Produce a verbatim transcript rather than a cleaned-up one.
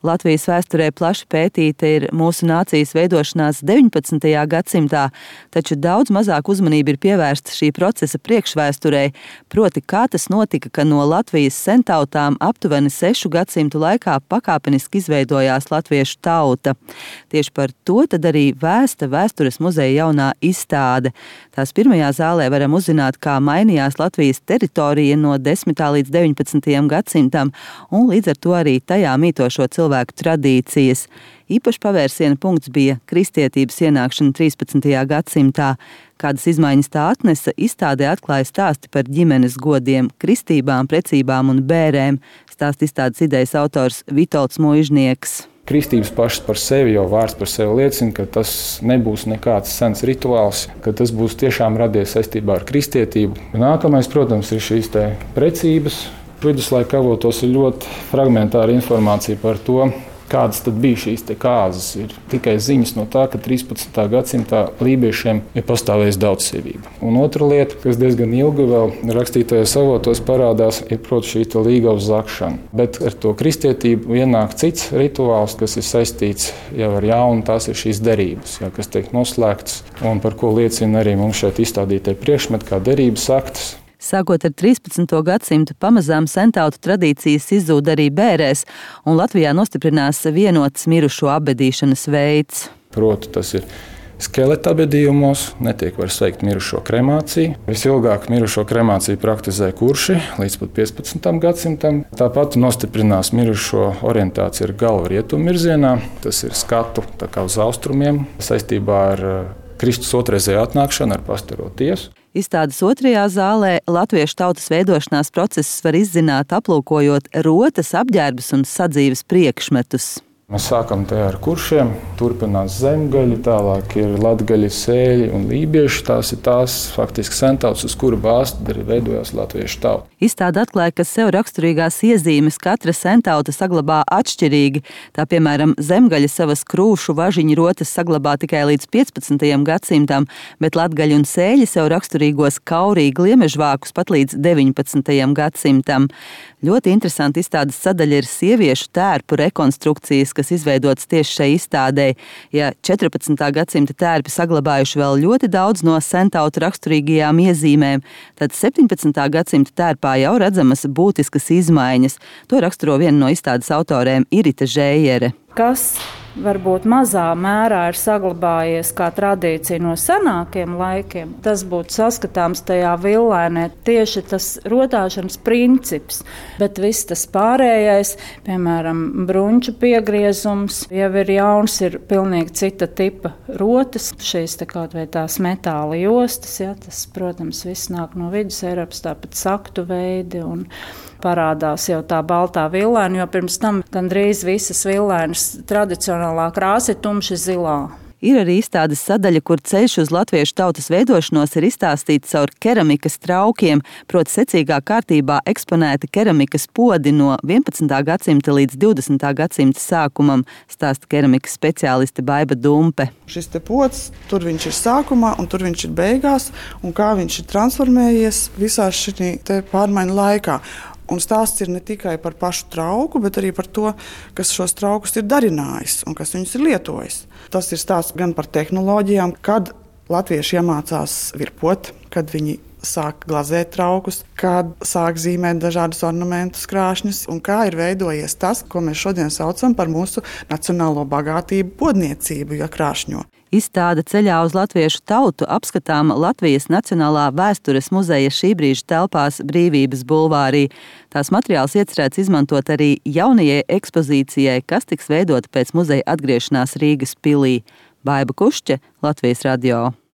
Latvijas vēsturē plaši pētīta ir mūsu nācijas veidošanās deviņpadsmitajā gadsimtā, taču daudz mazāk uzmanība ir pievērsta šī procesa priekšvēsturei, proti kā tas notika, ka no Latvijas sentautām aptuveni sešu gadsimtu laikā pakāpeniski izveidojās latviešu tauta. Tieši par to tad arī vēsta Vēstures muzeja jaunā izstāde. Tās pirmajā zālē varam uzzināt, kā mainījās Latvijas teritorija no desmitā līdz deviņpadsmitajam gadsimtam, un līdz ar to arī tajā mītošo cilvēku tradīcijas. Īpaši pavērsiena punkts bija kristietības ienākšana trīspadsmitajā gadsimtā. Kādas izmaiņas tā atnesa, izstādē atklāja stāsti par ģimenes godiem, kristībām, precībām un bērēm, stāsta izstādes idejas autors Vitolds Muižnieks. Kristības pašas par sevi, jau vārds par sevi liecina, ka tas nebūs nekāds sens rituāls, ka tas būs tiešām radies saistībā ar kristietību. Nākamais, protams, ir šīs te precības. Viduslaika avotos ir ļoti fragmentāra informācija par to, kādas tad bija šīs te kāzas. Ir tikai ziņas no tā, ka trīspadsmitā gadsimtā lībiešiem ir pastāvējusi daudzsievība. Un otra lieta, kas diezgan ilgi vēl rakstītajos avotos parādās, ir, protams, šī te līgavas zakšana. Bet ar to kristietību ienāk cits rituāls, kas ir saistīts jau ar jaunu, tās ir šīs derības, jā, kas tiek noslēgtas un par ko liecina arī mums šeit izstādītie priekšmeti, kā derības aktas. Sākot ar trīspadsmito gadsimtu, pamazām sentautu tradīcijas izzūd arī bērēs, un Latvijā nostiprinās vienots mirušo apbedīšanas veids. Proti, tas ir skeleta apbedījumos, netiek vairs veikt mirušo kremāciju. Visilgāk mirušo kremāciju praktizē kurši līdz pat piecpadsmitam gadsimtam. Tāpat nostiprinās mirušo orientācija ar galvu rietumu virzienā. Tas ir skatu tā kā uz austrumiem saistībā ar Kristus otrreizēju atnākšanu ar pastaro tiesu. Izstādes otrajā zālē latviešu tautas veidošanās procesus var izzināt, aplūkojot rotas, apģērbus un sadzīves priekšmetus. Mēs sākam te ar kuršiem, turpinās zemgaļi, tālāk ir latgaļi, sēļi un lībieši. Tās ir tās faktiski sentautas, uz kuru bāzi arī veidojās latviešu tauta. Izstāde atklāja, ka sev raksturīgās iezīmes katra sentauta saglabā atšķirīgi. Tā, piemēram, zemgaļi savas krūšu važiņu rotas saglabā tikai līdz piecpadsmitajam gadsimtam, bet latgaļi un sēļi sev raksturīgos kaurīgi gliemežvākus pat līdz deviņpadsmitajam gadsimtam. Ļoti interesanti izstādes sadaļa ir sieviešu tērpu rekonstrukcijas, kas izveidots tieši šai izstādē. Ja četrpadsmitā gadsimta tērpi saglabājuši vēl ļoti daudz no sentautu raksturīgajām iezīmēm, tad septiņpadsmitā gadsimta tērpā jau redzamas būtiskas izmaiņas. To raksturo viena no izstādes autorēm Irita Žējere. Kas varbūt mazā mērā ir saglabājies kā tradīcija no senākiem laikiem, tas būtu saskatāms tajā villainē, tieši tas rotāšanas princips, bet viss tas pārējais, piemēram, bruņču piegriezums, jau ir jauns, ir pilnīgi cita tipa rotas, šīs tā kaut vai tās metāla jostas, ja, tas, protams, viss nāk no vidus Eiropas, tāpat saktu veidi un parādās jau tā baltā villaina, jo pirms tam gandrīz visas villainas tradicionālā krāsa ir tumši zilā. Ir arī izstādes sadaļa, kur ceļš uz latviešu tautas veidošanos ir izstāstīts caur keramikas traukiem, proti secīgā kārtībā eksponēti keramikas podi no vienpadsmitā gadsimta līdz divdesmitā gadsimta sākumam, stāsta keramikas speciāliste Baiba Dumpe. Šis te pods, tur viņš ir sākumā un tur viņš ir beigās, un kā viņš ir transformējies visā šī te pārmaiņu laikā. Un stāsts ir ne tikai par pašu trauku, bet arī par to, kas šos traukus ir darinājis un kas viņus ir lietojis. Tas ir stāsts gan par tehnoloģijām, kad latvieši iemācās virpot, kad viņi sāk glazēt traukus, kad sāk zīmēt dažādus ornamentus, krāšņus, un kā ir veidojies tas, ko mēs šodien saucam par mūsu nacionālo bagātību podniecību, ja krāšņo. Izstāde ceļā uz latviešu tautu apskatām Latvijas Nacionālā vēstures muzeja šī brīža telpās Brīvības bulvārī. Tās materiāls iecerēts izmantot arī jaunajai ekspozīcijai, kas tiks veidota pēc muzeja atgriešanās Rīgas pilī. Baiba Kušķe, Latvijas radio.